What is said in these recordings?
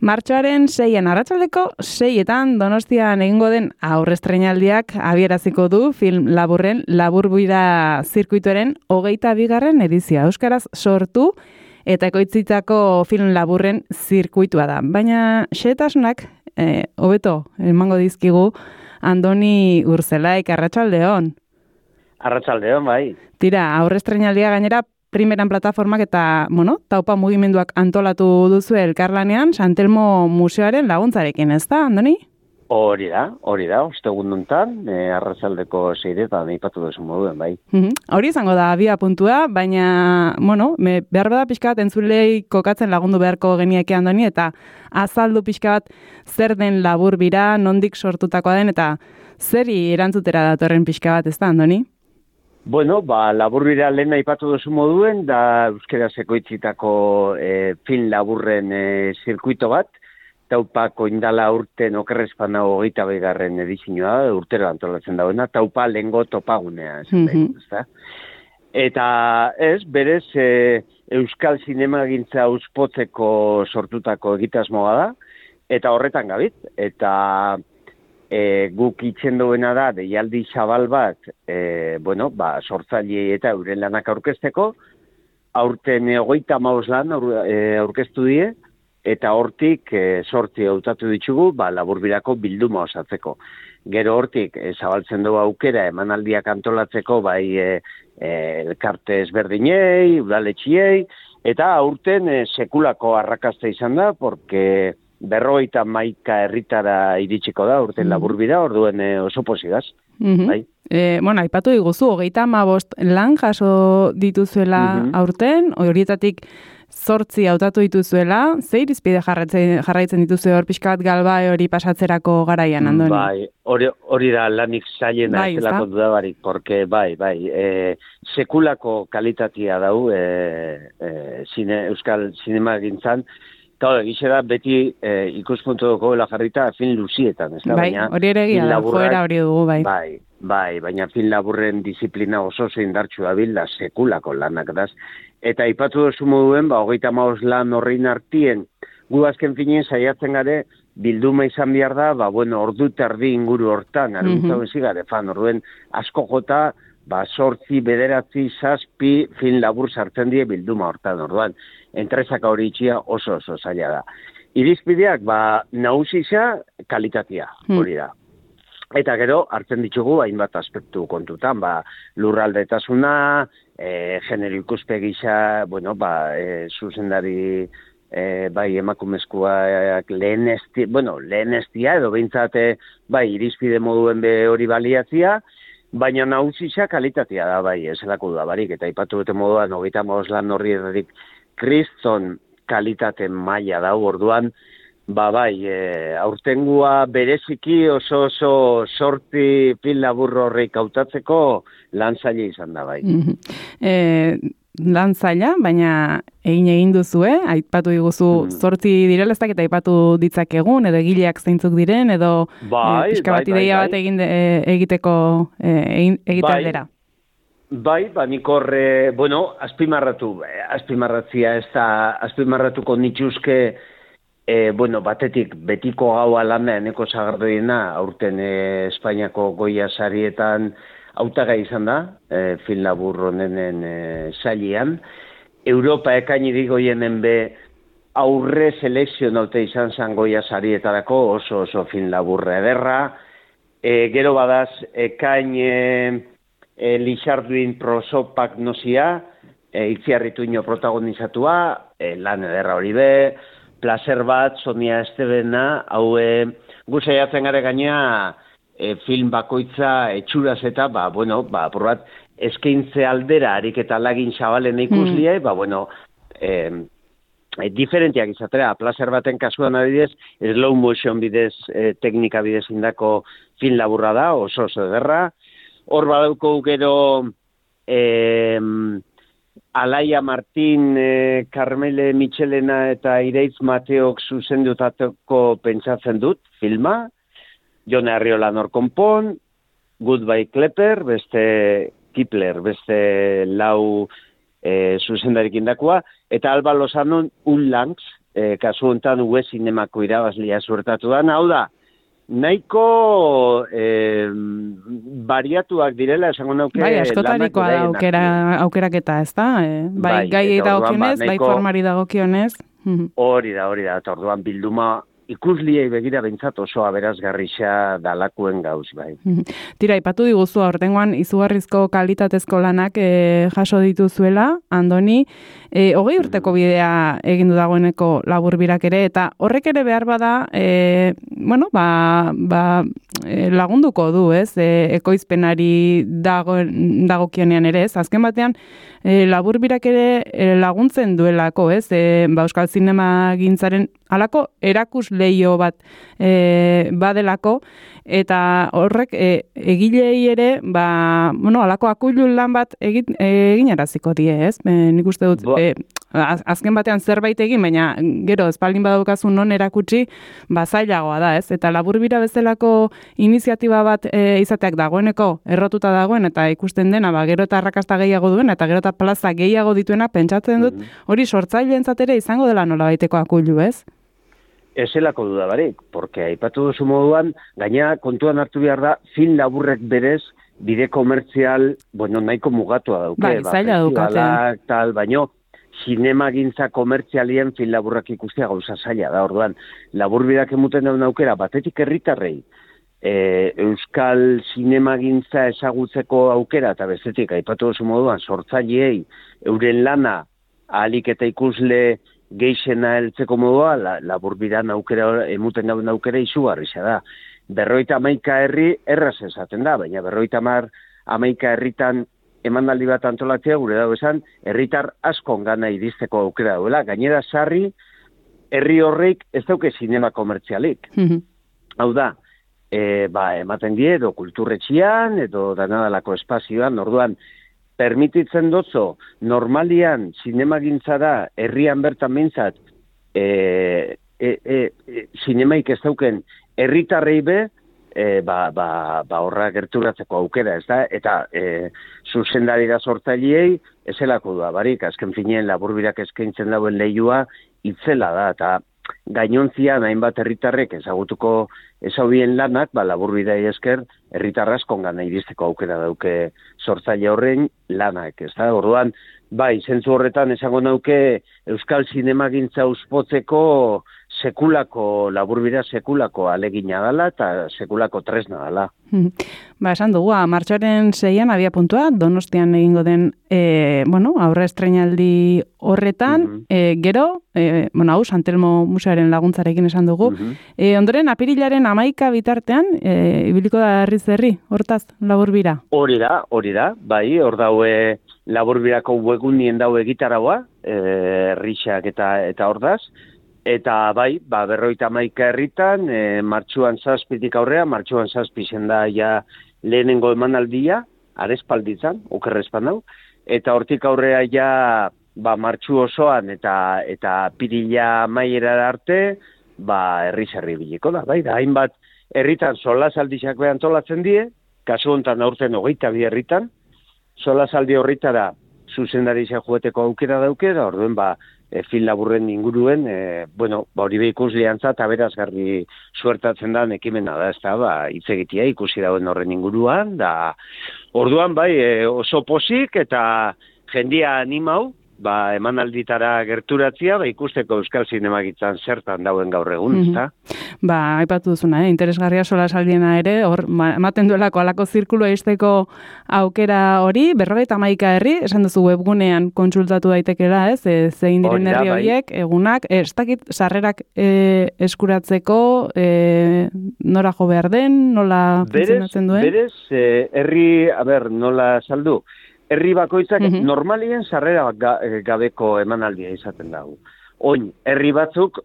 Martxoaren 6an arratsaldeko 6etan Donostian egingo den aurrestreinaldiak abieraziko du film laburren Laburbuira zirkuituaren 22. edizioa. Euskaraz sortu eta ekoitzitako film laburren zirkuitua da. Baina xehetasunak hobeto emango dizkigu Andoni Urzelaik, arratsaldeon. Arratsaldeon, bai. Tira, aurrestreinaldia gainera primeran plataformak eta, taupa mugimenduak antolatu duzu elkarlanean Santelmo Museoaren laguntzarekin, ez da, Andoni? Hori da, ostegun nuntan, arratsaldeko 6etan aipatu duzu moduen, bai. Hori izango da, abia puntua, baina, behar bada pixka bat entzulei kokatzen lagundu beharko genieke, Andoni, eta azaldu pixka bat zer den Laburbira, nondik sortutakoa den, eta zeri erantzutera datorren pixka bat, ez da, Andoni? Bueno, Laburbira lehen aipatu duzu moduen, da euskera ekoitzitako film laburren zirkuito bat, taupako indala urten okerrezpana 22. edizioa, urtero antolatzen dauena, taupa lehengo topagunea, ezta? Eta berez, euskal zinemagintza uspotzeko sortutako egitasmoa da, eta horretan gabit, eta guk itzen duena da, deialdi zabal bat, sortzailei eta euren lanak aurkezteko, aurten 35 lan aurkeztu die, eta hortik 8 hautatu ditugu, Laburbirako bilduma osatzeko. Gero hortik zabaltzen dugu aukera emanaldiak antolatzeko, bai elkarte ezberdinei, udaletxiei, eta aurten sekulako arrakasta izan da, porque 51 herritara iritsiko da, urten Laburbira, orduen oso pozigaz. Bai. Aipatu diguzu, 35 lan jaso dituzuela aurten, horietatik 8 hautatu dituzuela, ze irizpide jarraitzen dituzu hor pixka bat galbae hori pasatzerako garaian, Andoni? Bai, hori da lanik zailena zelako dudabarik, porque sekulako kalitatea dau euskal zinemagintzan, eta egize da beti ikuspuntu dugu jarrita film luzietan, ez da? Bai, hori ere egia da, joera hori dugu, bai. Bai, baina film laburren disiplina oso indartsu dabil da sekulako lanak daz. Eta aipatu duzu moduen, 35 lan horrein artien, gu azken finien saiatzen gare, bilduma izan behar da, ordu terdi inguru hortan, aruntzau ezigare, orduen asko jota, 8, 9, 7 film labur sartzen die bilduma hortan, orduan, entresaka hori itxia oso zaila da. Irizpideak, nagusisa kalitatea, hori da. Eta gero, hartzen ditugu, hainbat aspektu kontutan, lurraldetasuna, genero ikuspegisa, zuzendari, emakumezkoak lehenestia, edo behintzate, irizpide moduen hori baliatzia, baina nagusisa kalitatea da, ezelako da barik, eta ipatu dute moduan, 35 lan horri errarik kriston kalitate maila da, orduan, aurtengua bereziki oso sorti film labur horreik hautatzeko lan zaila izan da, bai. Lan zaila, baina egin duzue, aipatu diguzu 8 direla, ez dakit aipatu ditzakegun, edo egileak zeintzuk diren, edo pixka bat ideia bat egiteko aldera. Bai, nik horre, azpimarratzia ez da, azpimarratuko nituzke, batetik betiko gaua lana eneko zagardoiena, aurten Espainiako Goya sarietan hautagai izan da, film labur honenen sailean. Europa ekaini goienen aurre selekzionaute izan zen Goya sarietarako oso film laburra ederra. Gero badaz, ekain Lixarduin prosopak nozia, Itziarrituño protagonizatua, lan ederra hori placer bat, Sonia Estebena, gu saiatzen gare gainea film bakoitza etxuraz eta, apurat, eskaintze aldera harik eta lagin zabalen ikuslia, diferentiak izatera, placer baten kasuan adidez, slow motion bidez, teknika bidez indako film laburra da, oso ederra. Hor badauko gero Alaia Martin, Carmele Michelena eta Ireitz Mateok zuzendutako pentsatzen dut filma, Jone Arriola Norkonpon, Goodbye Klepper, beste Kipler, beste lau zuzendarik indakoa, eta Alba Lozanon Un Langs, kasu honetan UE zinemako irabazlia suertatu da. Hau da, nahiko bariatuak direla, esango nauke... Bai, askotarikoa da aukeraketa, ez da? Bai, gai dagokionez, bai formari dagokionez. Hori da, eta orduan bilduma ikusliei begira behintzat oso aberazgarrixa dalakuen gauz, bai. Tira, ipatu diguzu aurtengoan izugarrizko kalitatezko lanak jaso dituzuela, Andoni, 20 urteko bidea egin du dagoeneko Laburbirak ere, eta horrek ere behar bada, lagunduko du, ez? Ekoizpenari dagokionean ere, ez? Azken batean, Laburbirak ere laguntzen duelako, ez? Euskal zinema gintzaren halako erakus leio bat badelako, eta horrek egilei ere, halako akuilu lan bat eginaraziko die, ez? Nik uste dut, azken batean zerbait egin, baina gero espaldin badaukazu non erakutsi, zailagoa da, ez? Eta Laburbira bezalako iniziatiba bat izateak dagoeneko errotuta dagoen, eta ikusten dena, gero eta arrakasta gehiago duen, eta gero eta plaza gehiago dituena, pentsatzen dut, hori sortzaileentzat ere izango dela nolabaiteko akuilu, ez? Ezelako duda barik, porque aipatu duzu moduan, gaina kontuan hartu behar da, film laburrek berez, bide komertzial, nahiko mugatua dauke. Zaila daukate. Baino, zinemagintza komertzialien film laburrak ikustea gauza zaila da, orduan, Laburbirak emuten daun aukera, batetik herritarrei, euskal zinemagintza ezagutzeko aukera, eta bestetik, aipatu duzu moduan, sortzaileei, euren lana, ahalik eta ikusle geixena heltzeko modua, Laburbiran aukera, emuten daun aukera izugarria da. 51 herri erraz esaten da, baina 51 herritan emanaldi bat antolatzea gure dago esan, herritar askon gana iristeko aukera duela. Gainera sarri, herri horreik ez dauke zinema komertzialik. Hau da, ematen die, edo kulturretxian, edo danadalako espazioan, orduan, permititzen dotzo, normalian zinemagintzara herrian bertan behintzat, zinemaik ez dauken herritarrei be, horra gerturatzeko aukera, ez da? Eta zuzendarira sortzaileei, ezelako da, barik, azken finean Laburbirak eskaintzen dauen lehiua, itzela da, eta gainontzian hainbat herritarrek ezagutuko ezaubien lanak, Laburbidai esker, herritar askon gana iristeko aukera dauke sortzaile horren lanak, ez da? Orduan, zentzu horretan esango nauke Euskal Zinemagintza uspotzeko Laburbira sekulako alegina dela eta sekulako tresna dela. Esan dugu, martxoaren 6an abia puntua, Donostian egingo den aurre estreinaldi horretan, gero, hau, Santelmo Museoaren laguntzarekin esan dugu, ondoren apirilaren 11 bitartean, ibiliko da herri, hortaz, Laburbira? Hori da, hor daue Laburbirako webgunien daue egitaragoa, herrixak eta ordaz, eta 51 herritan, martxuan 7tik aurrea, martxuan 7 zen da ja lehenengo emanaldia, arespalditzan, okerrezpan hau, eta hortik aurrea ja martxu osoan eta pirila maiera arte, herri biliko da, hainbat herritan solasaldiak antolatzen die, kasu honetan aurten 22 herritan, solasaldi horritara zuzendaritza joeteko aukera dauke, da orduen film laburren inguruen, hori ikusleantzat aberazgarri suertatzen da ekimena da, ez da, hitz egitea ikusi dauen horren inguruan, da orduan oso posik eta jendia animau, emanalditara gerturatzia, ikusteko Euskal Zinemagintzan zertan dauen gaur egun, ezta? Aipatu duzuna, interesgarria solasaldiena ere, hor, ematen duelako alako zirkulua izteko aukera hori, 51 herri, esan duzu webgunean kontsultatu daitekela, ez? Zein diren herri horiek, egunak, ez dakit sarrerak eskuratzeko, nora jo behar den, nola funtzionatzen duen? Berez, herri, nola saldu? Herri bakoitzak normalien sarrera gabeko emanaldia izaten dago. Oin, herri batzuk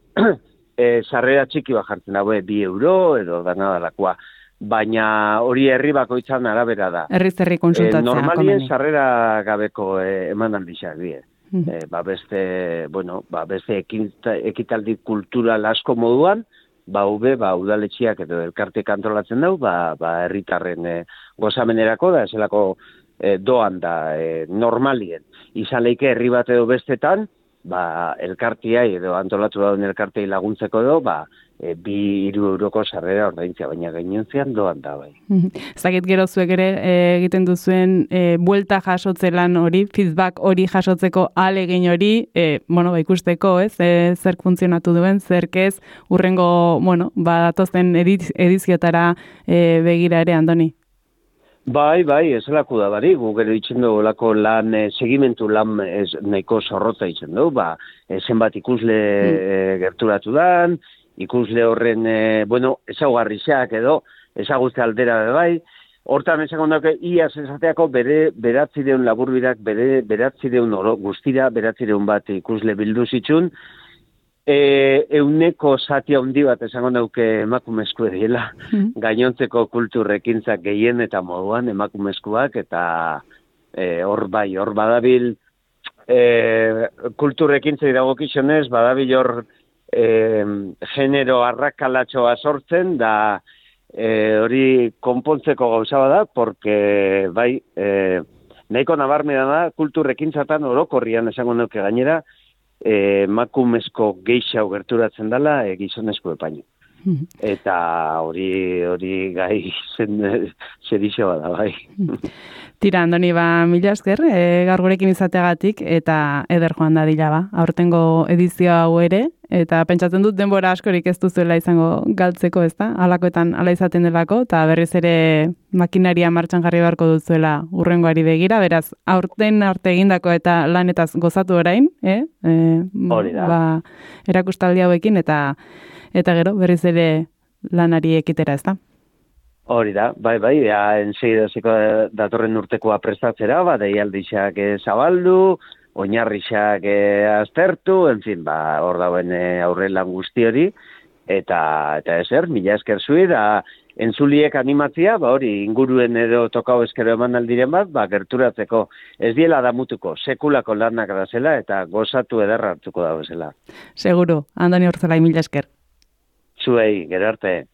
sarrera txiki bat jartzen dago, 2 euro edo danadalakoa. Baina hori herri bakoitzan arabera da. Herri konsultatzea. Normalien sarrera gabeko emanaldiak die. Beste ekitaldi kultural asko moduan, udaletxiak edo elkartek antolatzen dago, herritarren gozamenerako da, eselako doan da normalien. Izan leike herri bat edo bestetan, elkartia edo antolatu dauen elkartei laguntzeko edo, 2-3 euroko sarrera ordaintzea, baina gainontzean doan da bai. Zakit gero zuek ere egiten duzuen buelta jasotze lan hori, feedback hori jasotzeko ahalegin hori, ikusteko, ez, zerk funtzionatu duen, zerk ez, urrengo, datozen ediziotara begira ere, Andoni. Bai, ez laku da bari, gu gero itzen dugu lako lan, segimentu lan nahiko zorrotza itzen dugu, zenbat ikusle gerturatu dan, ikusle horren, ezaugarriak edo, ezagutze aldera bai, hortan esango dauke, iaz esateako beratzideun laburbirak, beratzideun guztira, beratzideun bat ikusle bildu zitsun, euneko zati handi bat esango dauke emakumezko ediela, gainontzeko kulturrekintzak gehien eta moduan emakumezkoak, eta hor badabil kulturrekintzei dagokizionez, badabil hor genero arrakalatxoa sortzen, da hori konpontzeko gauza bada, porque nahiko nabarmena da kulturrekintzatan orokorrian esango dauke gainera, emakumezko geixau gerturatzen dela gizonezko epaino. Eta hori gai zerixo bada, bai. Tira, Andoni, mila esker, gaur gurekin izateagatik, eta eder joan da dila, aurtengo edizio hau ere, eta pentsatzen dut denbora askorik ez duzuela izango galtzeko, ez da? Halakoetan hala izaten delako, eta berriz ere makinaria martxan jarri beharko duzuela urrengoari begira, beraz, aurten arte egindako eta lanetaz gozatu orain, hori da. Erakustaldi hauekin, eta gero berriz ere lanari ekitera, ez da? Hori da, bai, ensegidaziko datorren urtekoa prestatzera, deialdixak zabaldu, oinarrixak aztertu, hor dauen aurrelan guzti hori, eta ezer, mila esker zui, da entzuliek animatzia, hori inguruen edo tokau eskero eman aldiren bat, gerturatzeko ez diela damutuko, sekulako lanak da zela, eta gozatu ederra hartuko da bezala. Seguro, Andoni Ortzolai, mila esker. Zuei, gero arte.